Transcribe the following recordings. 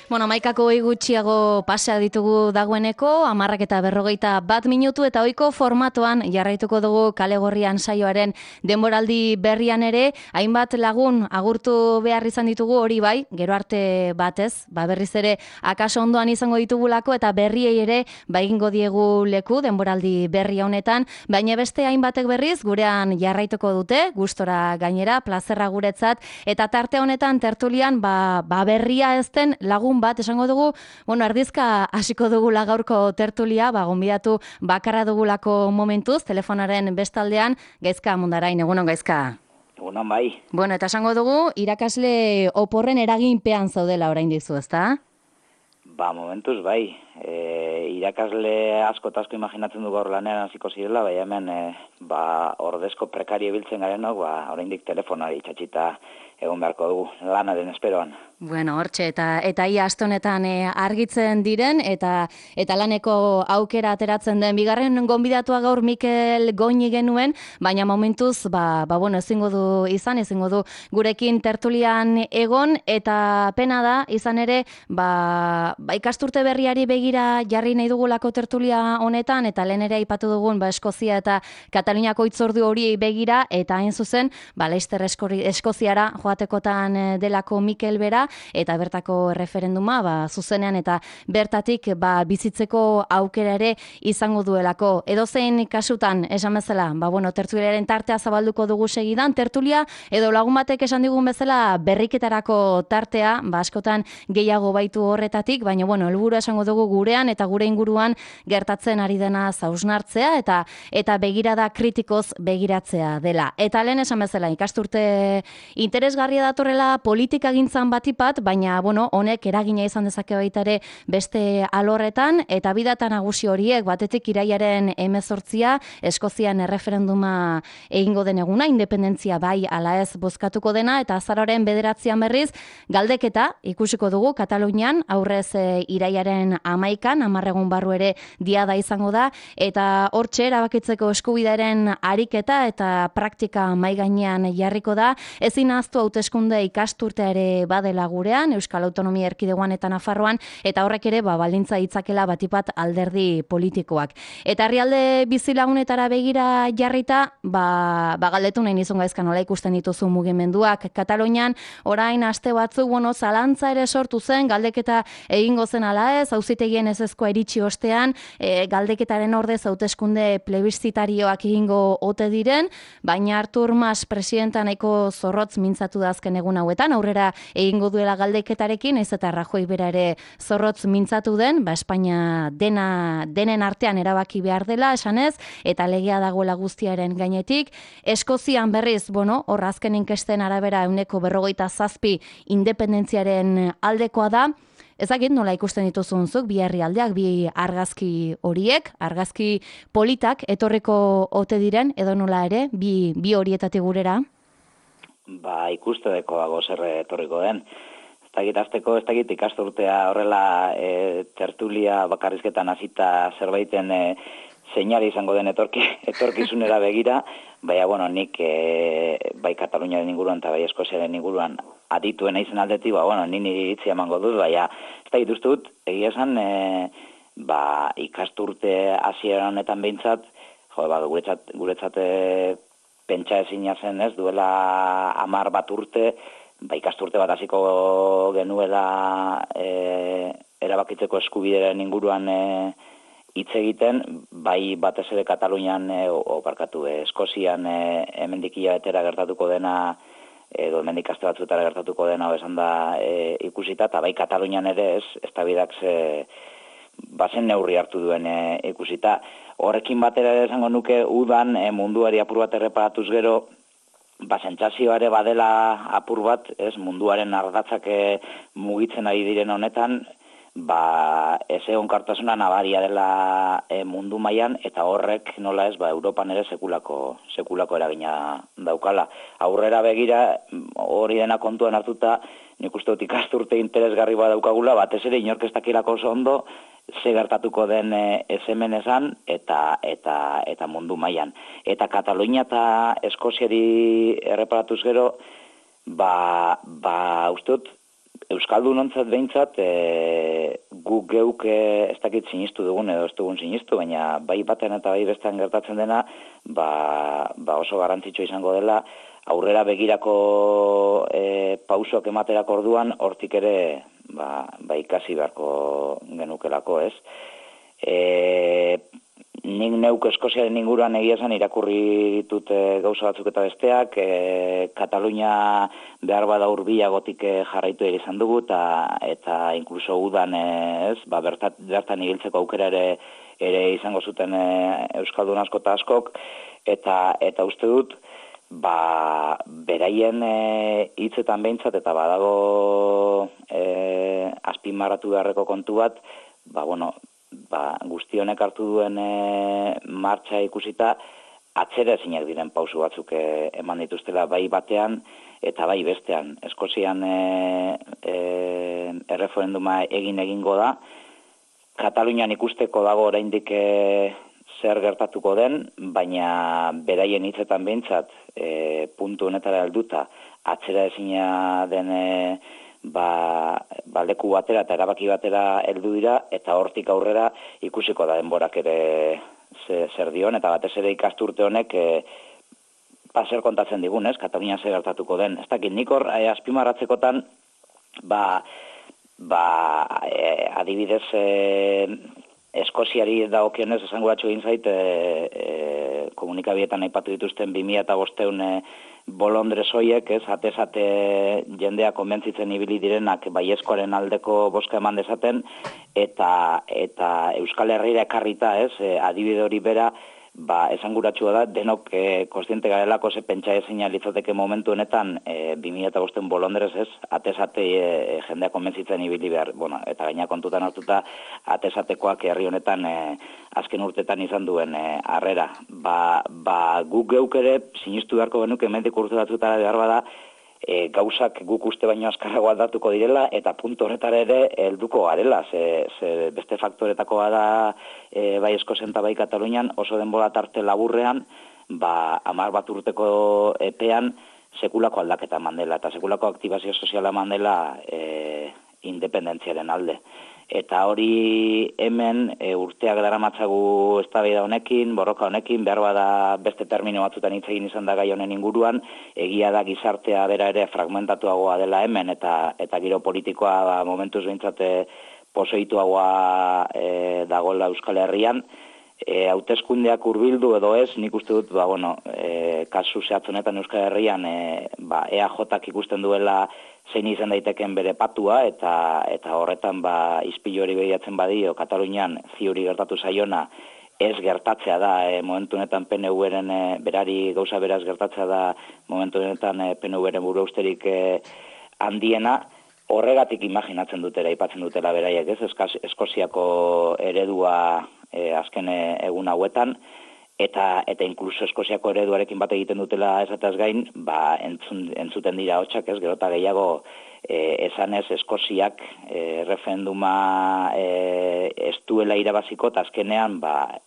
Bueno, amaikako gutxiago pasea ditugu dagoeneko, 10:41 eta ohiko formatoan jarraituko dugu Kale Gorrian saioaren denboraldi berrian ere, hainbat lagun agurtu behar izan ditugu hori bai, gero arte batez, berriz ere akaso ondoan izango ditugulako eta berriei ere egingo diegu leku denboraldi berri honetan, baina beste hainbatek berriz gurean jarraituko dute, gustora gainera, plazerra guretzat, eta tarte honetan tertulian berria ez den lagun bat esango dugu, erdizka hasiko dugula gaurko tertulia, gonbidatu bakarra dugulako momentuz, telefonaren bestaldean, Gaizka Mundarain, egunon Gaizka. Egunon bai. Bueno, eta esango dugu, irakasle oporren eraginpean zaudela oraindik zu, ezta? Momentuz bai. Irakasle asko eta asko imaginatzen du gaur lanean hasiko zirela, bai hemen ordezko prekario biltzen garenok, oraindik telefonari itxatxita egon beharko dugu lanaren esperoan. Bueno, hortxe, eta ia aste honetan argitzen diren, eta laneko aukera ateratzen den. Bigarren gonbidatua gaur Mikel Goñi genuen, baina momentuz, ezingo du gurekin tertulian egon, eta pena da, izan ere, ikasturte berriari begira jarri nahi dugulako tertulia honetan, eta lehen ere aipatu dugun, Eskozia eta Kataluniako hitzordu hori begira, eta hain zuzen, Leicester Eskoziara joatekotan delako Mikel bera, eta bertako referenduma zuzenean eta bertatik bizitzeko aukera ere izango duelako. Edozein kasutan, esan bezala, tertuliaren tartea zabalduko dugu segidan, tertulia edo lagun batek esan digun bezala berriketarako tartea, askotan gehiago baitu horretatik, baina helburua esango dugu gurean eta gure inguruan gertatzen ari dena hausnartzea eta begirada kritikoz begiratzea dela. Eta lehen esan bezala, ikasturte interesgarria datorrela politikagintzan batipat, baina honek eragina izan dezake baita ere beste alorretan, eta bidata nagusi horiek batetik irailaren 18 Eskozian erreferenduma egingo den eguna, independentzia bai ala ez bozkatuko dena, eta azaroaren 9 berriz galdeketa ikusiko dugu Katalunian, aurrez irailaren 11, 10 egun barru ere diada izango da, eta hortxe erabakitzeko eskubidearen ariketa eta praktika mahai gainean jarriko da, ezin ahaztu hauteskunde ikasturtea ere badela gurean, Euskal Autonomia Erkidegoan eta Nafarroan, eta horrek ere baldintza ditzakela batipat alderdi politikoak. Eta herrialde bizilagunetara begira jarrita, galdetu nahi nizun Gaizka nola ikusten dituzu mugimenduak. Katalunian orain aste batzuk zalantza ere sortu zen, galdeketa egingo zen ala ez, auzitegien ezezkoa iritsi ostean, galdeketaren ordez hauteskunde plebiszitarioak egingo ote diren, baina Artur Mas presidenta nahiko zorrotz mintzatu da azken egun hauetan, aurrera egingo duela galdeketarekin, ez eta Rajoy bera ere zorrotz mintzatu den, Espainia denen artean erabaki behar dela, esanez, eta legea dagoela guztiaren gainetik. Eskozian berriz, hor azken inkesten arabera 47% independentziaren aldekoa da. Ezagit nola ikusten dituzunzuk, bi herrialdeak, bi argazki horiek, argazki politak etorriko ote diren, edo nola ere, bi horietatik gurera? Ikusteko dago zer etorriko den. Ez dakit ikasturtea horrela tertulia bakarrizketan hasita zerbaiten seinale izango den etorkizunera begira, baina, nik bai Kataluniaren inguruan eta bai Eskoziaren inguruan adituen naizen aldetik, niri iritzia emango dut, baina ez dakit uste dut, egia esan, ikasturte hasiera honetan behintzat, guretzat pentsa ezina zen ez, duela 10 bat urte, ikasturte bat hasiko genuela erabakitzeko eskubideren inguruan hitz egiten, bai batez ere Katalunian, Eskozian hemendik hilabetera gertatuko dena, edo hemendik aste batzuetara gertatuko dena esan da ikusita, eta bai Katalunian ere ez da bidak bazen neurri hartu duen ikusita. Horrekin batera ere esango nuke udan munduari apur bat erreparatuz gero, sentsazioa ere badela apur bat, munduaren ardatzak mugitzen ari diren honetan, ez egonkortasuna nabaria dela mundu mailan, eta horrek nola ez, Europan ere sekulako eragina daukala. Aurrera begira, hori dena kontuan hartuta, nik uste dut ikasturte interesgarri bat daukagula, batez ere inork ez dakilako oso ondo, ze gertatuko den ez hemen esan eta mundu mailan. Eta Katalunia eta Eskoziari erreparatuz gero, uste dut Euskaldunontzat behintzat, guk geuk ez dakit sinistu dugun edo ez dugun sinistu, baina bai batean eta bai bestean gertatzen dena, oso garrantzitsua izango dela, aurrera begirako pausoak ematerako orduan, hortik ere ikasi beharko genukelako, ez? Nik neuk Eskoziaren inguruan egia esan irakurri ditut gauza batzuk eta besteak, Katalunia behar bada hurbilagotik jarraitu ere izan dugu, eta inkluso udan bertan ibiltzeko aukera ere izango zuten Euskaldun asko eta askok, eta uste dut, beraien hitzetan behintzat, eta badago azpimarratu beharreko kontu bat, guzti honek hartu duen martxa ikusita, atzera ezinak diren pausu batzuk eman dituztela bai batean eta bai bestean. Eskozian erreferenduma egingo da, Katalunian ikusteko dago oraindik zer gertatuko den, baina beraien hitzetan behintzat puntu honetara helduta atzera ezina den leku batera eta erabaki batera heldu dira, eta hortik aurrera ikusiko da denborak ere zer dion, eta batez ere ikasturte honek zer kontatzen digun, ez? Katalunian zer gertatuko den. Ez dakit, nik hor azpimarratzekotan, adibidez, Eskoziari dagokionez esanguratsu egin zait, komunikabietan aipatu dituzten 2005 bolondrez hoiek, ez, atez-ate jendea konbentzitzen ibili direnak baiezkoaren aldeko bozka eman dezaten, eta Euskal Herrira ekarrita, ez, adibide hori bera, esanguratsua da, denok kontziente garelako ze pentsa ezina litzateke momentu honetan 2005 bolondrez, ez, atez-ate jendea konbentzitzen ibili behar, eta gaina kontutan hartuta, atez-atekoak herri honetan azken urtetan izan duen harrera. Guk geuk ere sinistu beharko genuke hemendik urte batzutara behar bada, gauzak guk uste baino azkarrago aldatuko direla, eta puntu horretara ere helduko garela, ze beste faktoretakoa da bai Eskozian eta bai Katalunian, oso denbora tarte laburrean, 10 urteko epean sekulako aldaketa eman dela, eta sekulako aktibazio soziala eman dela independentziaren alde. Eta hori hemen urteak daramatzagu eztabaida honekin, borroka honekin, behar bada beste termino batzutan hitz egin izan da gai honen inguruan, egia da gizartea bera ere fragmentatuagoa dela hemen, eta giro politikoa momentuz behintzat pozoituagoa dagoela Euskal Herrian. Hauteskundeak hurbildu edo ez, nik uste dut, kasu zehatz honetan Euskal Herrian EAJak ikusten duela zein izan daiteken bere patua, eta horretan ispilu hori behiatzen badio, Katalunian ziuri gertatu zaiona, ez gertatzea da, momentu honetan PNV-ren berari gauza beraz gertatzea da, momentu honetan PNV-ren buru usterik handiena, horregatik imaginatzen dutela, aipatzen dutela beraiek, ez, Eskoziako eredua azken egun hauetan, eta inkluso Eskoziako ereduarekin bat egiten dutela esataz gain, entzuten dira hotxak, ez, gero eta gehiago esanez Eskoziak referenduma ez duela irabaziko, eta azkenean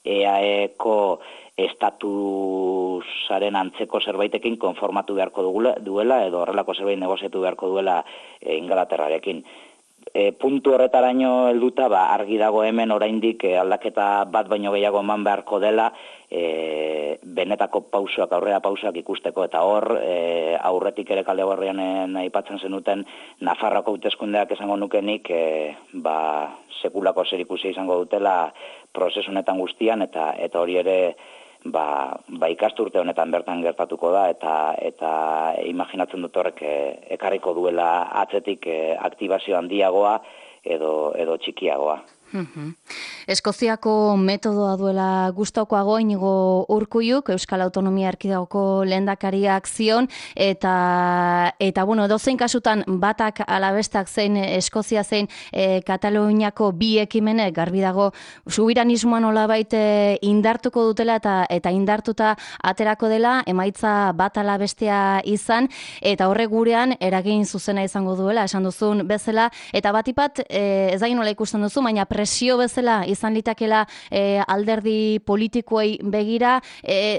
EAEko estatusaren antzeko zerbaitekin konformatu beharko duela, edo horrelako zerbait negoziatu beharko duela Ingalaterrarekin. Puntu horretaraino helduta, argi dago hemen oraindik aldaketa bat baino gehiago eman beharko dela, benetako pausoak, aurrera pausoak ikusteko, eta hor, aurretik ere kalde gorrian aipatzen zenuten, Nafarroako hauteskundeak esango nukenik, sekulako zerikusia izango dutela prozesu honetan guztian, eta hori ere, ikasturte honetan bertan gertatuko da, eta imaginatzen dut horrek ekarriko duela atzetik aktibazio handiagoa edo txikiagoa. Eskoziako metodoa duela gustokoago Inigo Urkulluk, Euskal Autonomia Erkidegoko lehendakariak zion, eta dozein kasutan batak alabestak zein Eskozia zein Kataluniako bi ekimenek garbi dago subiranismoa nolabait indartuko dutela eta indartuta aterako dela, emaitza bat alabestea izan, eta horrek gurean eragin zuzena izango duela, esan duzun bezala, eta batipat ez da nola ikusten duzu, baina presio bezala izan litakela alderdi politikoei begira,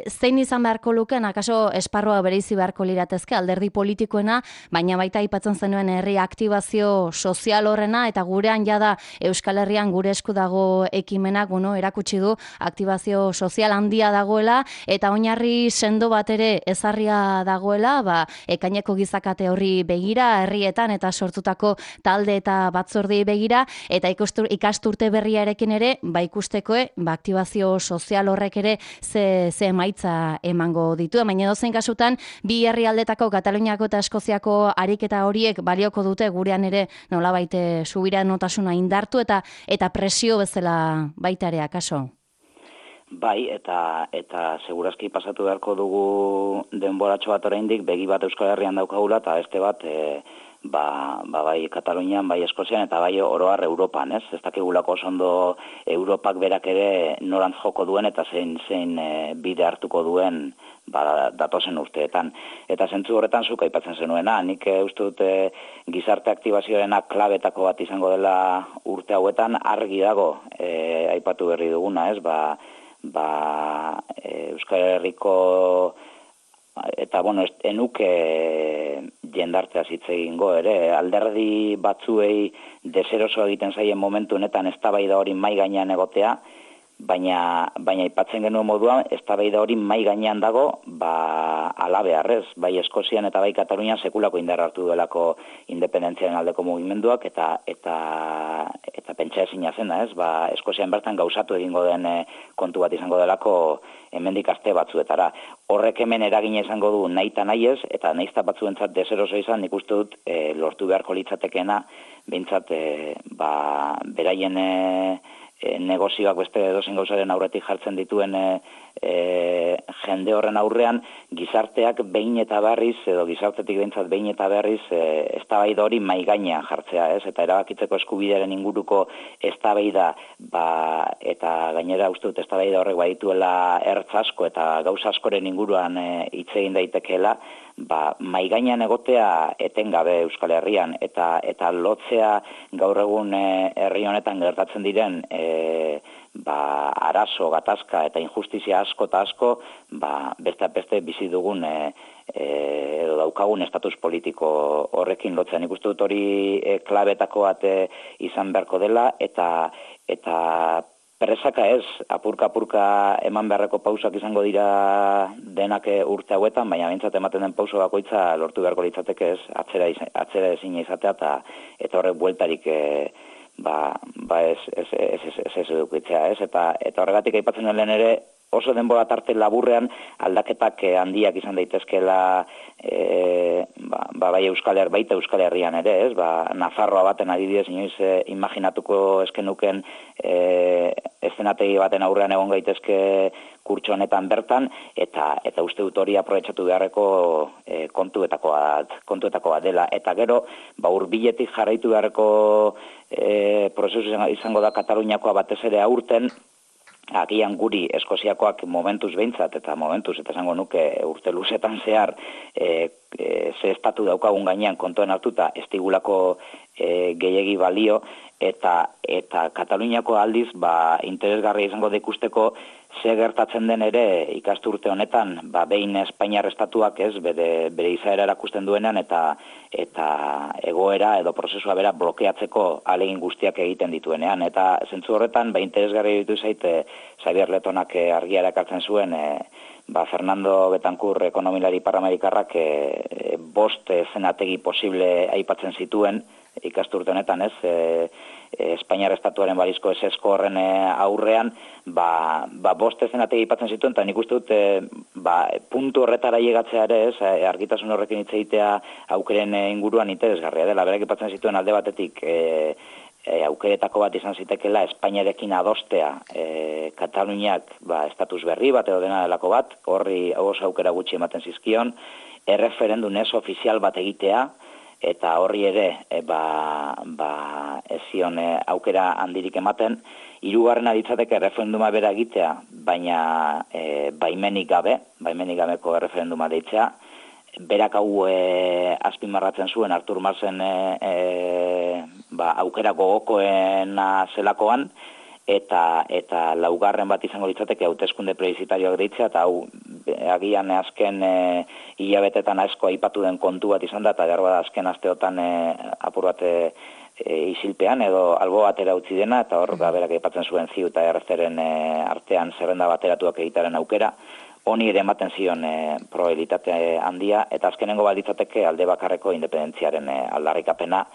zein izan beharko luken, akaso esparroa bereizi beharko liratezke alderdi politikoena, baina baita aipatzen zenuen herri aktibazio sozial horrena, eta gurean jada Euskal Herrian gure esku dago ekimenak, erakutsi du aktibazio sozial handia dagoela, eta oinarri sendo bat ere ezarria dagoela, ekaineko gizakate horri begira, herrietan eta sortutako talde eta batzordei begira, eta ikasturte berriarekin ere, ikusteko, aktibazio sozial horrek ere ze emaitza emango ditu. Baina dozein kasutan, bi herrialdetako Kataluniako eta Eskoziako ariketa horiek balioko dute gurean ere nolabait subiranotasuna indartu eta presio bezala baita ere, akaso? Bai, eta segurazki pasatu beharko dugu denboratxo bat oraindik, begi bat Euskal Herrian daukagula, eta beste bat bai Katalunian, bai Eskozian, eta bai oroar Europan, ez? Ez dakigulako oso ondo Europak berak ere norantz joko duen, eta zein bide hartuko duen datozen urteetan. Eta zentzu horretan zuk aipatzen zenuena, nik uste dut gizarte aktibazioarena klabetako bat izango dela urte hauetan, argi dago aipatu berri duguna, ez? Euskal Herriko eta enuke jendartea hitz egingo ere, alderdi batzuei deseroso egiten zaien momentu honetan eztabaida hori mai gainean egotea, baina aipatzen genuen moduan eztabaida hori mai gainean dago, alabearrez, bai Eskozian eta bai Katalunian sekulako indar hartu duelako independentziaren aldeko mugimenduak eta pentsa ezina zena, ez? Eskozian bertan gauzatu egingo den kontu bat izango delako hemendik aste batzuetara. Horrek hemen eragina izango du nahi eta nahi ez, eta naizta batzuentzat deseroso izan, nik uste dut lortu beharko litzatekeena, behintzat beraien negozioak beste edozein gauzaren aurretik jartzen dituen jende horren aurrean, gizarteak behin eta berriz, edo gizartetik behintzat behin eta berriz, eztabaida hori mai gainean jartzea, ez? Eta erabakitzeko eskubidearen inguruko eztabaida, eta gainera uste dut eztabaida horrek badituela ertz asko eta gauza askoren inguruan hitz egin daitekeela, mai gainean egotea etengabe Euskal Herrian, eta lotzea gaur egun herri honetan gertatzen diren arazo, gatazka eta injustizia asko eta asko, beste bizi dugun edo daukagun estatus politiko horrekin lotzea. Nik uste dut hori klabetako bat izan beharko dela, eta presaka ez, apurka eman beharreko pausak izango dira denak urte hauetan, baina behintzat ematen den pauso bakoitza lortu beharko litzateke ez, atzera ezina izatea, eta horrek bueltarik ez edukitzea, ez? Eta horregatik aipatzen den lehen ere, oso denbora tarte laburrean aldaketak handiak izan daitezkeela baita Euskal Herrian ere, ez? Nafarroa baten adibidez inoiz imaginatuko eskenuken eszenategi baten aurrean egon gaitezke kurtso honetan bertan, eta uste dut hori aprobetxatu beharreko kontuetako bat dela. Eta gero, hurbiletik jarraitu beharreko prozesu izango da Kataluniakoa batez ere aurten, agian guri Eskoziakoak momentuz behintzat, eta esango nuke urte luzetan zehar ze estatu daukagun gainean kontuan hartuta ez digulako gehiegi balio, eta Kataluniako aldiz interesgarria izango da ikusteko ze gertatzen den ere ikasturte honetan, behin Espainiar estatuak ez, bere izaera erakusten duenean, eta egoera edo prozesua bera blokeatzeko ahalegin guztiak egiten dituenean. Eta zentzu horretan, interesgarria ditu zaite Xabier Letonak argia erakartzen zuen, Fernando Betancourt ekonomilari paraamerikarrak 5 zenategi posible aipatzen zituen ikasturte honetan, ez? Espainiar estatuaren balizko esesko horren aurrean, 5 zenategi aipatzen zituen, eta nik uste dut puntu horretara llegatzea ere, ez? Argitasun horrekin hitz egitea aukeren inguruan interesgarria dela. Berak aipatzen zituen alde batetik aukeretako bat izan zitekela Espainiarekin adostea Kataluniak estatus berri bat edo dena delako bat, horri oso aukera gutxi ematen zizkion, erreferendum ez ofizial bat egitea, eta horri ere ez zion aukera handirik ematen. Hirugarrena ditzateke erreferenduma bera egitea, baina baimenik gabeko erreferenduma deitzea, berak hau azpimarratzen zuen Artur Marsen aukera gogokoena zelakoan, eta laugarren bat izango litzateke hauteskunde plebiszitarioak deitzea, eta hau agian azken hilabetetan asko aipatu den kontu bat izan da, eta beharbada azken asteotan apur bat isilpean edo albo batera utzi dena, eta hor berak aipatzen zuen ZIU eta ERC-ren artean zerrenda bateratuak egitaren aukera, honi ere ematen zion probabilitate handia, eta azkenengo bat litzateke alde bakarreko independentziaren aldarrikapena,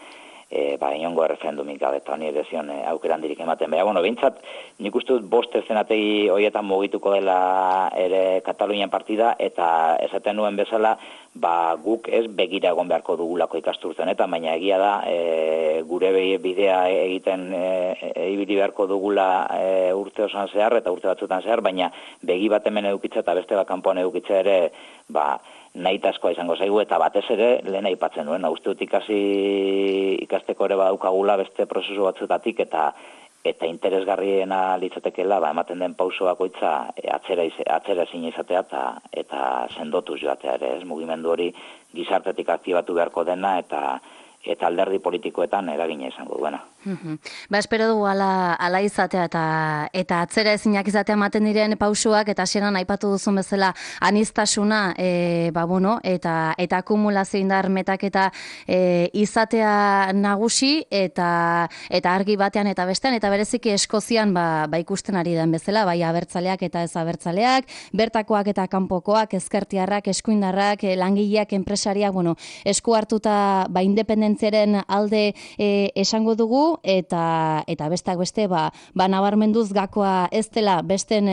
inongo erreferendumik gabe, eta honi ere zion aukera handirik ematen. Baina, behintzat, nik uste dut bost eszenategi horietan mugituko dela ere Katalunian partida, eta esaten nuen bezala, guk ez begira egon beharko dugulako ikasturtzen, eta baina egia da, gure bidea egiten ibili beharko dugula urte osoan zehar, eta urte batzutan zehar, baina begi bat hemen edukitza eta beste bat kanpoan edukitza ere, nahitaskoa izango zaigu, eta batez ere lehen aipatzen nuen, uste dut ikasteko ere badaukagula beste prozesu batzutatik, eta interesgarriena litzatekeela, ematen den pauso bakoitza atzera ezin izatea eta sendotuz joatea ere, ez mugimendu hori gizartetik aktibatu beharko dena, eta alderdi politikoetan eragina izango duena. Espero dugu ala izatea eta atzera ezinak izatea ematen diren pausuak, eta hasieran aipatu duzun bezala aniztasuna, eta akumulazio indar metaketa izatea nagusi, eta argi batean eta bestean, eta bereziki Eskozian ikusten ari den bezala, bai abertzaleak eta ez abertzaleak, bertakoak eta kanpokoak, ezkertiarrak, eskuindarrak, langileak, enpresariak, esku hartuta independentziaren alde esango dugu, eta besteak beste, nabarmenduz gakoa ez dela besten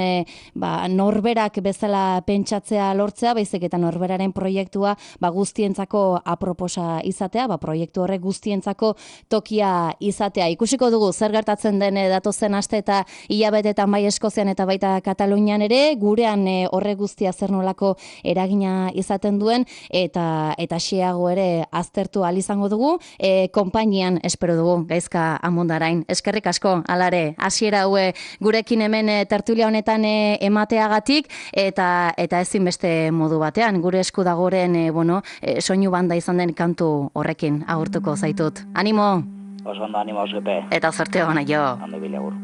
norberak bezala pentsatzea lortzea, baizik eta norberaren proiektua guztientzako aproposa izatea, proiektu horrek guztientzako tokia izatea. Ikusiko dugu zer gertatzen den datozen aste eta hilabetetan bai Eskozian eta baita Katalunian ere, gurean horrek guztia zer nolako eragina izaten duen, eta xeago ere aztertu ahal izango dugu, konpainian espero dugu, Gaizka Amondarain. Eskerrik asko, alare, hasiera haue gurekin hemen tertulia honetan emateagatik, eta ezin beste modu batean, gure esku dagoren soinu banda izan den kantu horrekin agurtuko zaitut. Animo! Oso ondo, animo, Josepe. Eta zorte hona jo. Hande bilagur.